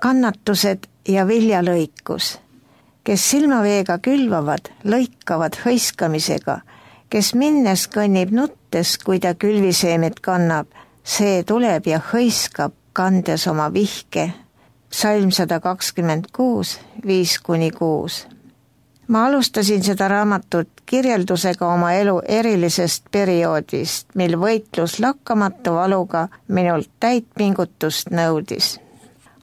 kannatused ja viljalõikus, kes silmaveega külvavad, lõikavad hõiskamisega, kes minnes kõnnib nuttes, kui ta külviseemet kannab, see tuleb ja hõiskab, kandes oma vihke. Psalm 126, 5-6. Ma alustasin seda raamatut kirjeldusega oma elu erilisest perioodist, mil võitlus lakkamatu valuga minult täit pingutust nõudis.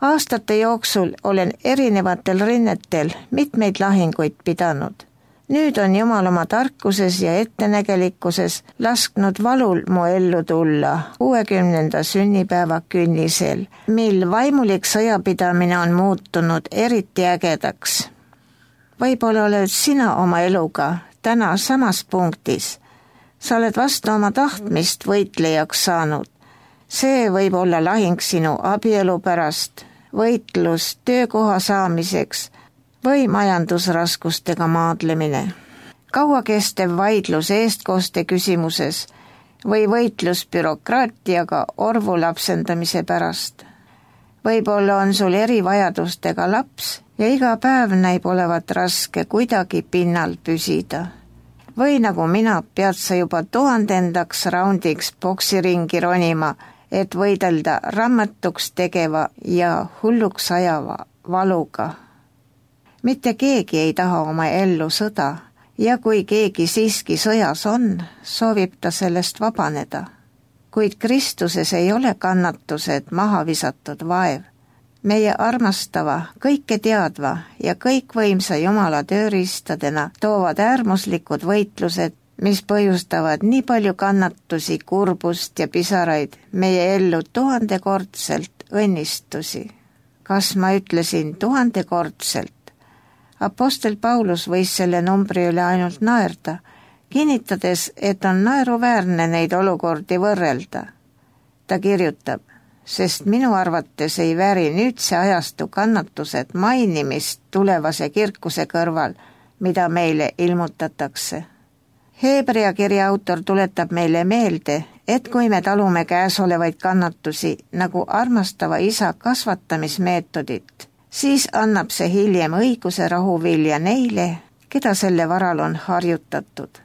Aastate jooksul olen erinevatel rinnetel mitmeid lahinguid pidanud. Nüüd on Jumal oma tarkuses ja ettenägelikkuses lasknud valul mu ellu tulla 60. sünnipäeva künnisel, mil vaimulik sõjapidamine on muutunud eriti ägedaks. Võib-olla oled sina oma eluga täna samas punktis. Sa oled vastu oma tahtmist võitlejaks saanud. See võib olla lahing sinu abielu pärast, võitlus töökoha saamiseks või majandusraskustega maadlemine. Kauakestev vaidlus eestkoste küsimuses või võitlus bürokraatiaga orvu lapsendamise pärast. Võib-olla on sul erivajadustega laps ja iga päev näib olevat raske kuidagi pinnal püsida. Või nagu mina, pead sa juba 1000. raundiks poksiringi ronima, et võidelda rammatuks tegeva ja hulluks ajava valuga. Mitte keegi ei taha oma ellu sõda ja kui keegi siiski sõjas on, soovib ta sellest vabaneda. Kuid Kristuses ei ole kannatused maha visatud vaev. Meie armastava, kõike teadva ja kõikvõimsa Jumala tööriistadena toovad äärmuslikud võitlused, mis põhjustavad nii palju kannatusi, kurbust ja pisaraid meie ellu 1000-kordselt õnnistusi. Kas ma ütlesin 1000-kordselt? Apostel Paulus võis selle numbri üle ainult naerda, kinnitades, et on naeruväärne neid olukordi võrrelda. Ta kirjutab, sest minu arvates ei vääri nüüdse ajastu kannatused mainimist tulevase kirkuse kõrval, mida meile ilmutatakse. Heebrea kirja autor tuletab meile meelde, et kui me talume käesolevaid kannatusi nagu armastava isa kasvatamismeetodit, siis annab see hiljem õiguse rahuvilja neile, keda selle varal on harjutatud.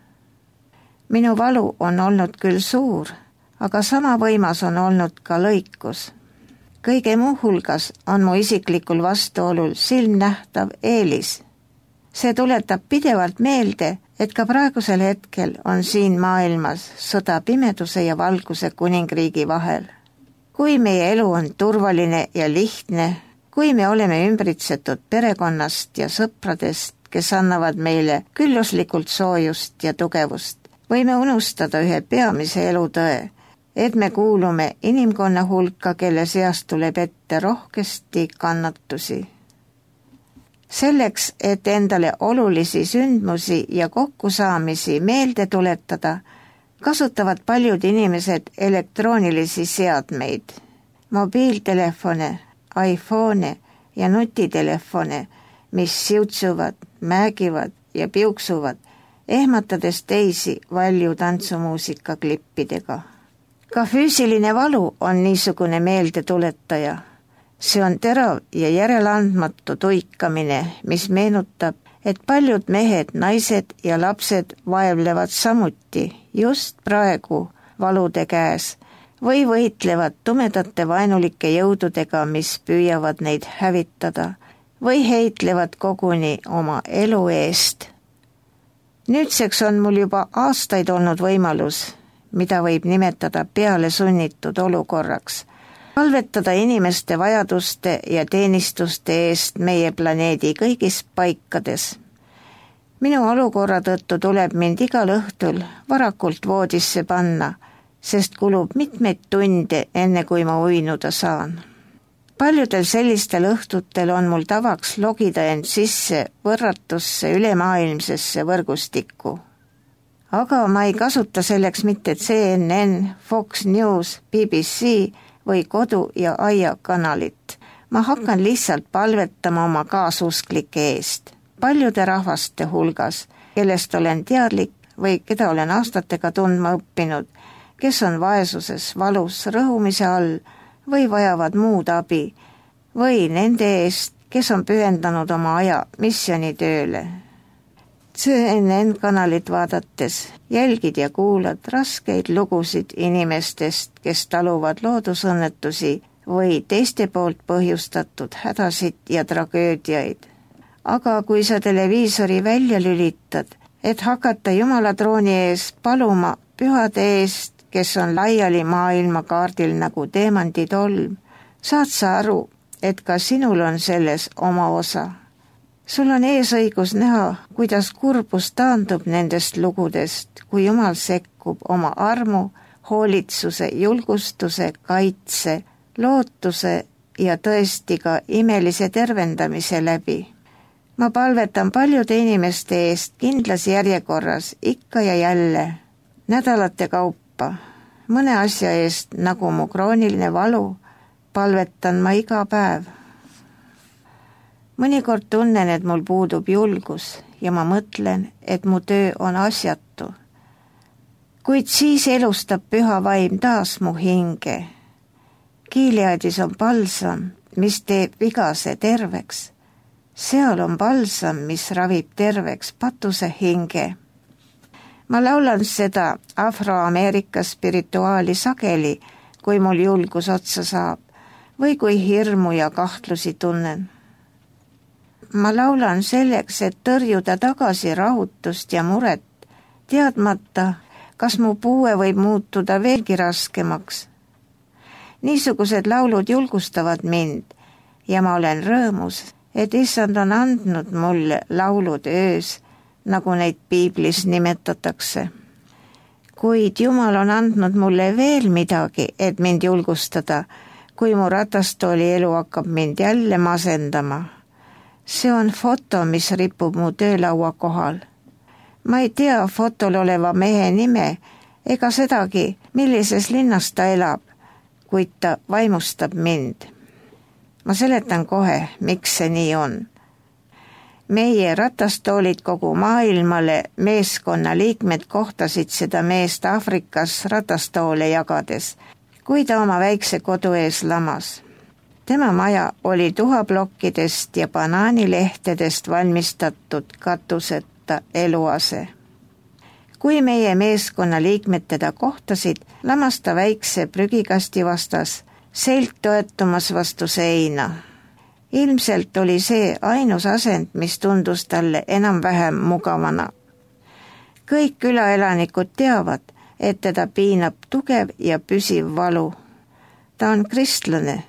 Minu valu on olnud küll suur, aga sama võimas on olnud ka lõikus. Kõige muu hulgas on mu isiklikul vastuolul silmnähtav eelis. See tuletab pidevalt meelde, et ka praegusel hetkel on siin maailmas sõda pimeduse ja valguse kuningriigi vahel. Kui meie elu on turvaline ja lihtne, kui me oleme ümbritsetud perekonnast ja sõpradest, kes annavad meile külluslikult soojust ja tugevust, võime unustada ühe peamise elutõe, et me kuulume inimkonna hulka, kelle seast tuleb ette rohkesti kannatusi. Selleks, et endale olulisi sündmusi ja kokkusaamisi meelde tuletada, kasutavad paljud inimesed elektroonilisi seadmeid, mobiiltelefone, iPhone ja nutitelefone, mis siutsuvad, määgivad ja piuksuvad, ehmatades teisi valju tantsumuusika klippidega. Ka füüsiline valu on niisugune meeldetuletaja. See on terav ja järeleandmatu tuikamine, mis meenutab, et paljud mehed, naised ja lapsed vaevlevad samuti just praegu valude käes või võitlevad tumedate vaenulike jõududega, mis püüavad neid hävitada või heitlevad koguni oma elu eest. Nüüdseks on mul juba aastaid olnud võimalus, mida võib nimetada peale sunnitud olukorraks, palvetada inimeste vajaduste ja teenistuste eest meie planeedi kõigis paikades. Minu olukorra tõttu tuleb mind igal õhtul varakult voodisse panna, sest kulub mitmeid tunde, enne kui ma uinuda saan. Paljudel sellistel õhtutel on mul tavaks logida end sisse võrratusse ülemaailmsesse võrgustikku. Aga ma ei kasuta selleks mitte CNN, Fox News, BBC või kodu- ja aiakanalit. Ma hakkan lihtsalt palvetama oma kaasusklike eest, paljude rahvaste hulgas, kellest olen teadlik või keda olen aastatega tundma õppinud, kes on vaesuses, valus, rõhumise all või vajavad muud abi, või nende eest, kes on pühendanud oma aja missioonitööle. CNN kanalit vaadates jälgid ja kuulad raskeid lugusid inimestest, kes taluvad loodusõnnetusi või teiste poolt põhjustatud hädasid ja tragöödiaid. Aga kui sa televiisori välja lülitad, et hakata Jumala trooni ees paluma pühade eest, kes on laiali maailmakaardil nagu teemanditolm, saad sa aru, et ka sinul on selles oma osa. Sul on eesõigus näha, kuidas kurbus taandub nendest lugudest, kui Jumal sekkub oma armu, hoolitsuse, julgustuse, kaitse, lootuse ja tõesti ka imelise tervendamise läbi. Ma palvetan paljude inimeste eest kindlas järjekorras ikka ja jälle, nädalate kaupa, mõne asja eest nagu mu krooniline valu, palvetan ma iga päev. Mõnikord tunnen, et mul puudub julgus ja ma mõtlen, et mu töö on asjatu. Kuid siis elustab püha vaim taas mu hinge. Gileadis on balsam, mis teeb vigase terveks. Seal on balsam, mis ravib terveks patuse hinge. Ma laulan seda Afroameerika spirituaali sageli, kui mul julgus otsa saab või kui hirmu ja kahtlusi tunnen. Ma laulan selleks, et tõrjuda tagasi rahutust ja muret, teadmata, kas mu puue võib muutuda veelgi raskemaks. Niisugused laulud julgustavad mind ja ma olen rõõmus, et Issand on andnud mulle laulud öös, nagu neid piiblis nimetatakse. Kuid Jumal on andnud mulle veel midagi, et mind julgustada, kui mu ratastooli elu hakkab mind jälle masendama. See on foto, mis ripub mu töölaua kohal. Ma ei tea fotol oleva mehe nime ega sedagi, millises linnas ta elab, kuid ta vaimustab mind. Ma seletan kohe, miks see nii on. Meie ratastoolid kogu maailmale meeskonna liikmed kohtasid seda meest Aafrikas ratastoole jagades, kui ta oma väikse kodu ees lamas. Tema maja oli tuhaplokkidest ja banaanilehtedest valmistatud katuseta eluase. Kui meie meeskonna liikmed teda kohtasid, lamas ta väikse prügikasti vastas, selg toetumas vastu seina. Ilmselt oli see ainus asend, mis tundus talle enam-vähem mugavana. Kõik külaelanikud teavad, et teda piinab tugev ja püsiv valu. Ta on kristlane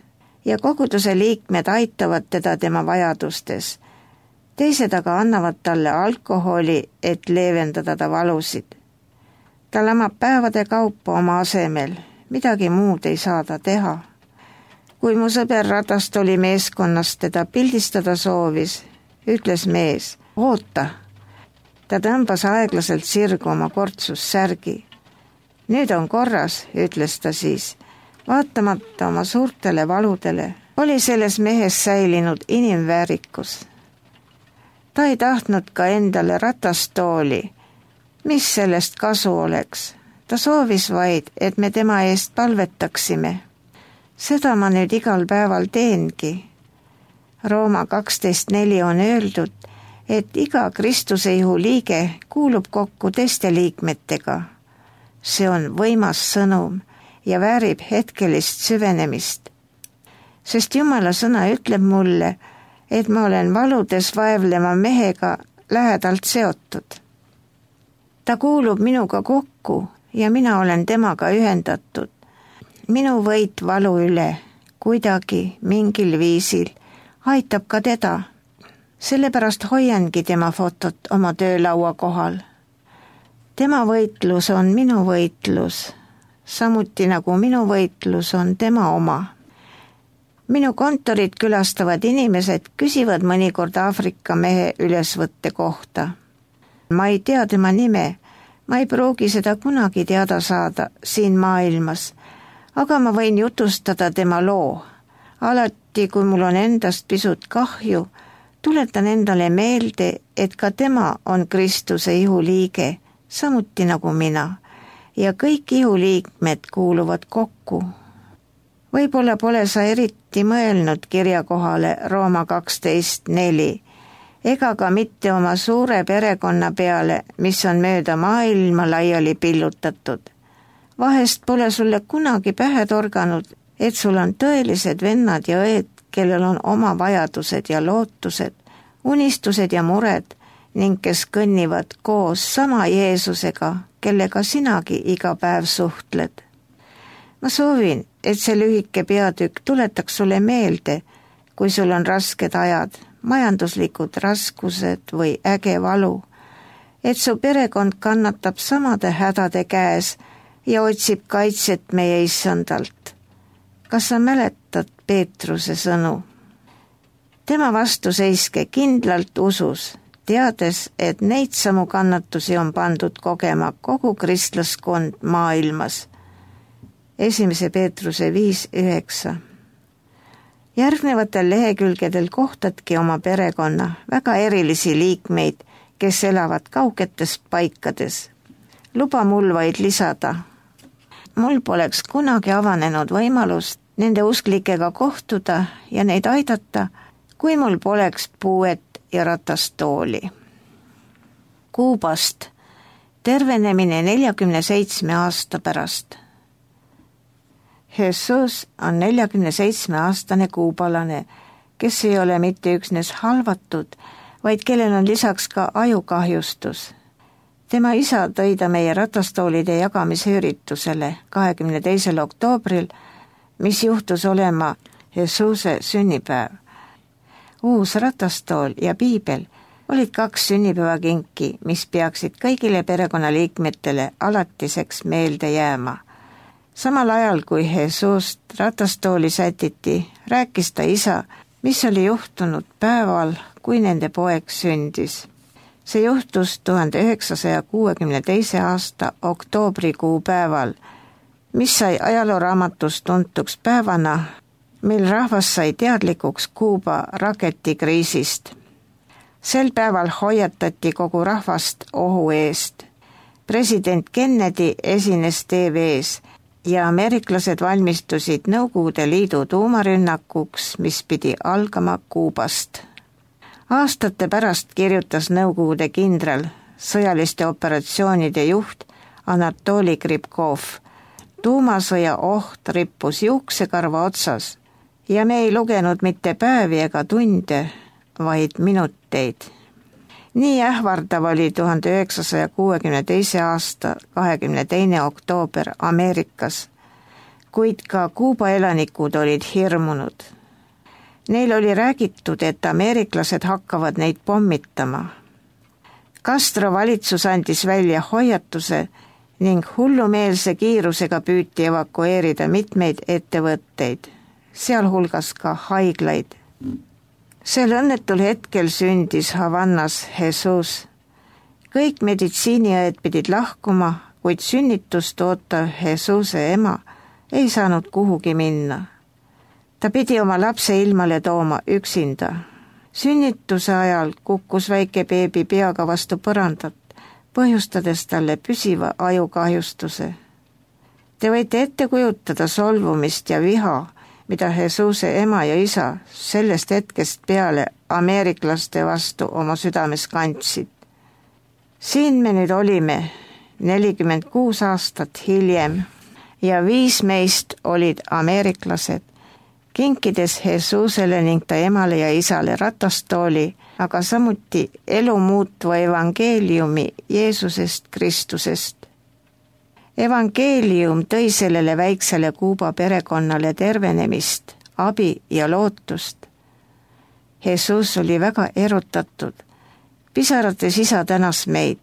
ja koguduse liikmed aitavad teda tema vajadustes. Teised aga annavad talle alkoholi, et leevendada ta valusid. Ta lamab päevade kaupa oma asemel, midagi muud ei saa ta teha. Kui mu sõber ratastooli meeskonnast teda pildistada soovis, ütles mees, oota. Ta tõmbas aeglaselt sirgu oma kortsussärgi. Nüüd on korras, ütles ta siis. Vaatamata oma suurtele valudele oli selles mehes säilinud inimväärikus. Ta ei tahtnud ka endale ratastooli. Mis sellest kasu oleks? Ta soovis vaid, et me tema eest palvetaksime. Seda ma nüüd igal päeval teengi. Rooma 12.4 on öeldud, et iga Kristuse ihu liige kuulub kokku teiste liikmetega. See on võimas sõnum ja väärib hetkelist süvenemist. Sest Jumala sõna ütleb mulle, et ma olen valudes vaevlema mehega lähedalt seotud. Ta kuulub minuga kokku ja mina olen temaga ühendatud. Minu võit valu üle, kuidagi, mingil viisil, aitab ka teda. Sellepärast hoiangi tema fotot oma töölaua kohal. Tema võitlus on minu võitlus, samuti nagu minu võitlus on tema oma. Minu kontorit külastavad inimesed küsivad mõnikord Aafrika mehe ülesvõtte kohta. Ma ei tea tema nime, ma ei pruugi seda kunagi teada saada siin maailmas, aga ma võin jutustada tema loo. Alati, kui mul on endast pisut kahju, tuletan endale meelde, et ka tema on Kristuse ihuliige, samuti nagu mina, ja kõik ihuliikmed kuuluvad kokku. Võib-olla pole sa eriti mõelnud kirja kohale Rooma 12:4 ega ka mitte oma suure perekonna peale, mis on mööda maailma laiali pillutatud. Vahest pole sulle kunagi pähe torganud, et sul on tõelised vennad ja õed, kellel on oma vajadused ja lootused, unistused ja mured ning kes kõnnivad koos sama Jeesusega, kellega sinagi iga päev suhtled. Ma soovin, et see lühike peatükk tuletaks sulle meelde, kui sul on rasked ajad, majanduslikud raskused või äge valu, et su perekond kannatab samade hädade käes ja otsib kaitset meie issandalt. Kas sa mäletad Peetruse sõnu? Tema vastu seiske kindlalt usus, teades, et neid samu kannatusi on pandud kogema kogu kristlaskond maailmas. 1. Peetruse 5:9. Järgnevatel lehekülgedel kohtadki oma perekonna väga erilisi liikmeid, kes elavad kaugetes paikades. Luba mul vaid lisada. Mul poleks kunagi avanenud võimalust nende usklikega kohtuda ja neid aidata, kui mul poleks puuet ja ratastooli. Kuubast tervenemine 47 aasta pärast. Jesus on 47-aastane kuubalane, kes ei ole mitte üksnes halvatud, vaid kellel on lisaks ka ajukahjustus. Tema isa tõi ta meie ratastoolide jagamise üritusele 22. oktoobril, mis juhtus olema Jesuse sünnipäev. Uus ratastool ja piibel olid 2 sünnipäevakinki, mis peaksid kõigile perekonnaliikmetele alatiseks meelde jääma. Samal ajal, kui Jesust ratastooli sätiti, rääkis ta isa, mis oli juhtunud päeval, kui nende poeg sündis. See juhtus 1962. aasta oktoobrikuu päeval, mis sai ajalooraamatus tuntuks päevana, mil rahvas sai teadlikuks Kuuba raketikriisist. Sel päeval hoiatati kogu rahvast ohu eest. President Kennedy esines TV-s ja ameeriklased valmistusid Nõukogude Liidu tuumarünnakuks, mis pidi algama Kuubast. Aastate pärast kirjutas Nõukogude kindral, sõjaliste operatsioonide juht Anatoli Kripkov. Tuumasõja oht rippus juuksekarva otsas ja me ei lugenud mitte päevi ega tunde, vaid minuteid. Nii ähvardav oli 1962. aasta 22. oktoober Ameerikas, kuid ka Kuuba elanikud olid hirmunud. Neil oli räägitud, et ameeriklased hakkavad neid pommitama. Castro valitsus andis välja hoiatuse ning hullumeelse kiirusega püüti evakueerida mitmeid ettevõtteid, sealhulgas ka haiglaid. Sel õnnetul hetkel sündis Havannas Jesus. Kõik meditsiiniõed pidid lahkuma, kuid sünnitust ootav Jesuse ema ei saanud kuhugi minna. Ta pidi oma lapse ilmale tooma üksinda. Sünnituse ajal kukkus väike beebi peaga vastu põrandat, põhjustades talle püsiva ajukahjustuse. Te võite ette kujutada solvumist ja viha, mida Jesuse ema ja isa sellest hetkest peale ameeriklaste vastu oma südames kandsid. Siin me nüüd olime 46 aastat hiljem ja 5 meist olid ameeriklased, kinkides Jesusele ning ta emale ja isale ratastooli, aga samuti elu muutva evangeeliumi Jeesusest Kristusest. Evangeelium tõi sellele väiksele Kuuba perekonnale tervenemist, abi ja lootust. Jesus oli väga erutatud. Pisarates isa tänas meid.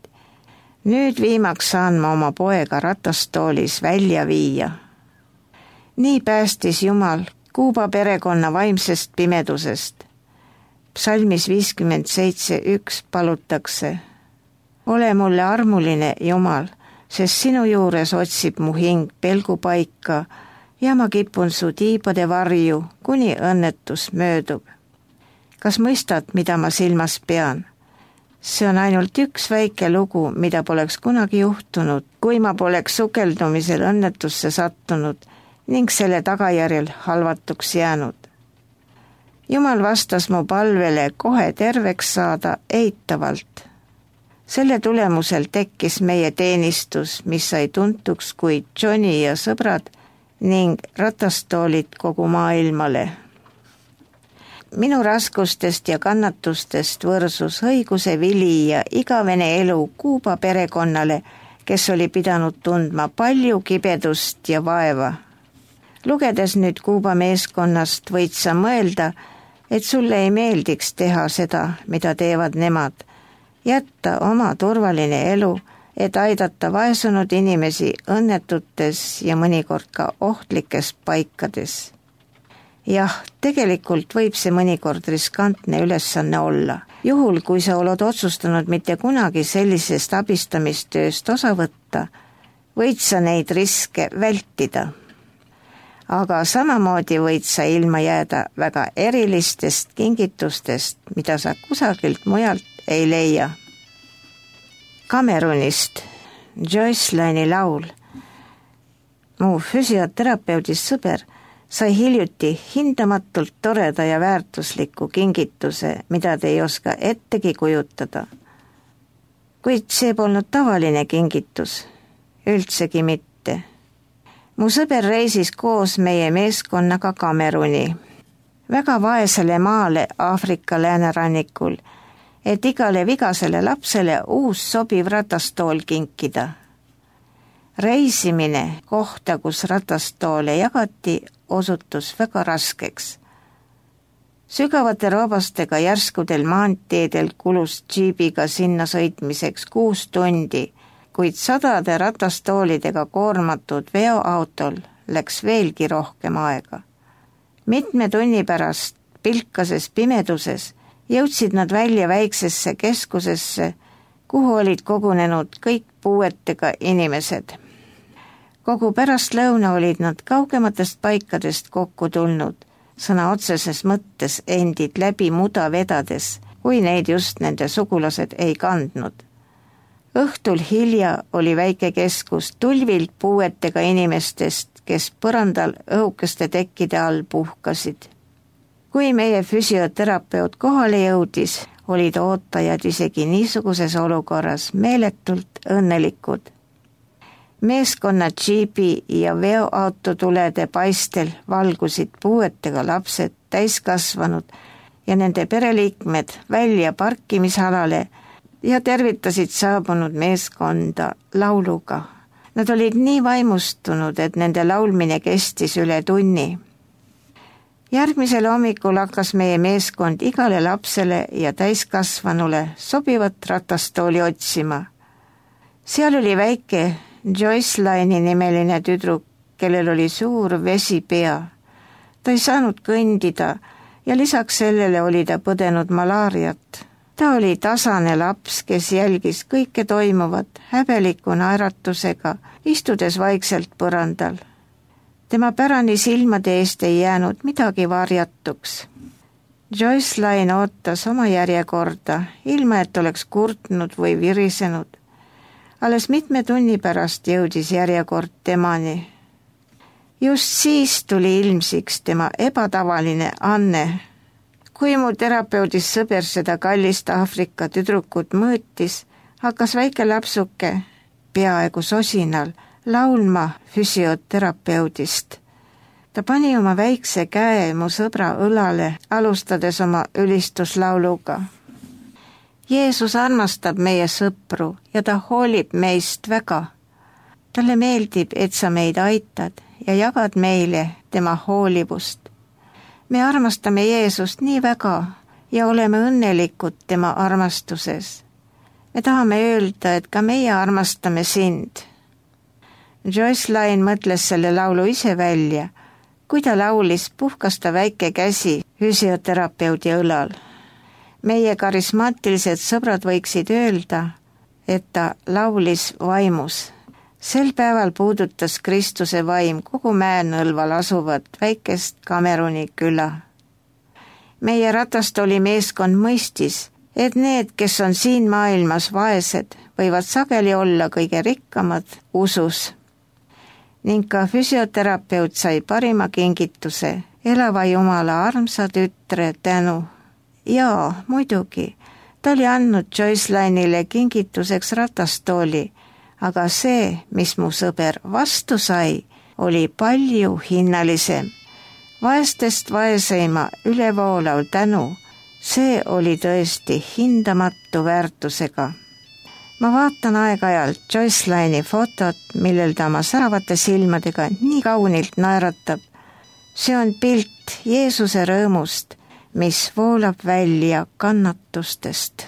Nüüd viimaks saan ma oma poega ratastoolis välja viia. Nii päästis Jumal Kuuba perekonna vaimsest pimedusest. Psalmis 57:1 palutakse: ole mulle armuline, Jumal, sest sinu juures otsib mu hing pelgupaika ja ma kipun su tiibade varju, kuni õnnetus möödub. Kas mõistad, mida ma silmas pean? See on ainult üks väike lugu, mida poleks kunagi juhtunud, kui ma poleks sukeldumisel õnnetusse sattunud ning selle tagajärjel halvatuks jäänud. Jumal vastas mu palvele kohe terveks saada eitavalt. Selle tulemusel tekkis meie teenistus, mis sai tuntuks kui Johnny ja sõbrad ning ratastoolid kogu maailmale. Minu raskustest ja kannatustest võrsus õiguse vili ja igavene elu Kuuba perekonnale, kes oli pidanud tundma palju kibedust ja vaeva. Lugedes nüüd Kuuba meeskonnast võid sa mõelda, et sulle ei meeldiks teha seda, mida teevad nemad, jätta oma turvaline elu, et aidata vaesunud inimesi õnnetutes ja mõnikord ka ohtlikes paikades. Jah, tegelikult võib see mõnikord riskantne ülesanne olla. Juhul, kui sa oled otsustanud mitte kunagi sellisest abistamistööst osa võtta, võid sa neid riske vältida. Aga samamoodi võid sa ilma jääda väga erilistest kingitustest, mida sa kusagilt mujalt ei leia. Kamerunist Joyce Lane'i laul. Mu füsioterapeudist sõber sai hiljuti hindamatult toreda ja väärtusliku kingituse, mida te ei oska ettegi kujutada. Kuid see polnud tavaline kingitus, üldsegi mitte. Mu sõber reisis koos meie meeskonnaga Kameruni, väga vaesele maale Aafrika läänerannikul, et igale vigasele lapsele uus sobiv ratastool kinkida. Reisimine kohta, kus ratastoole jagati, osutus väga raskeks. Sügavate roobastega järskudel maanteedel kulus džiibiga sinna sõitmiseks 6 tundi, kuid sadade ratastoolidega koormatud veoautol läks veelgi rohkem aega. Mitme tunni pärast pilkases pimeduses jõudsid nad välja väiksesse keskusesse, kuhu olid kogunenud kõik puuetega inimesed. Kogu pärastlõuna olid nad kaugematest paikadest kokku tulnud, sõna otseses mõttes endid läbi muda vedades, kui neid just nende sugulased ei kandnud. Õhtul hilja oli väike keskus tulvilt puuetega inimestest, kes põrandal õhukeste tekkide all puhkasid. Kui meie füsioterapeut kohale jõudis, olid ootajad isegi niisuguses olukorras meeletult õnnelikud. Meeskonna džiibi ja veoautotulede paistel valgusid puuetega lapsed, täiskasvanud ja nende pereliikmed välja parkimisalale ja tervitasid saabunud meeskonda lauluga. Nad olid nii vaimustunud, et nende laulmine kestis üle tunni. Järgmisel hommikul hakkas meie meeskond igale lapsele ja täiskasvanule sobivat ratastooli otsima. Seal oli väike Joyce Lane'i nimeline tüdruk, kellel oli suur vesipea. Ta ei saanud kõndida ja lisaks sellele oli ta põdenud malaariat. Ta oli tasane laps, kes jälgis kõike toimuvat häbeliku naeratusega, istudes vaikselt põrandal. Tema pärani silmade eest ei jäänud midagi varjatuks. Joyce Lane ootas oma järjekorda, ilma et oleks kurtnud või virisenud. Alles mitme tunni pärast jõudis järjekord temani. Just siis tuli ilmsiks tema ebatavaline anne. Kui mu terapeudist sõber seda kallist Aafrika tüdrukut mõõtis, hakkas väike lapsuke, peaaegu sosinal, laulma füsioterapeudist. Ta pani oma väikse käe mu sõbra õlale, alustades oma ülistuslauluga. Jeesus armastab meie sõpru ja ta hoolib meist väga. Talle meeldib, et sa meid aitad ja jagad meile tema hoolivust. Me armastame Jeesust nii väga ja oleme õnnelikud tema armastuses. Me tahame öelda, et ka meie armastame sind. Joyce Lane mõtles selle laulu ise välja. Kui ta laulis, puhkas ta väike käsi füsioterapeudi õlal. Meie karismaatilised sõbrad võiksid öelda, et ta laulis vaimus. Sel päeval puudutas Kristuse vaim kogu Mäenõlval asuvat väikest Kameruni küla. Meie ratastooli meeskond mõistis, et need, kes on siin maailmas vaesed, võivad sageli olla kõige rikkamad usus. ning ka füsioterapeut sai parima kingituse, elava Jumala armsa tütre tänu. Jaa, muidugi, ta oli andnud Joycelynile kingituseks ratastooli, aga see, mis mu sõber vastu sai, oli palju hinnalisem. Vaestest vaeseima ülevoolav tänu, see oli tõesti hindamatu väärtusega. Ma vaatan aeg-ajalt Joycelyni fotot, millel ta oma säravate silmadega nii kaunilt naeratab. See on pilt Jeesuse rõõmust, mis voolab välja kannatustest.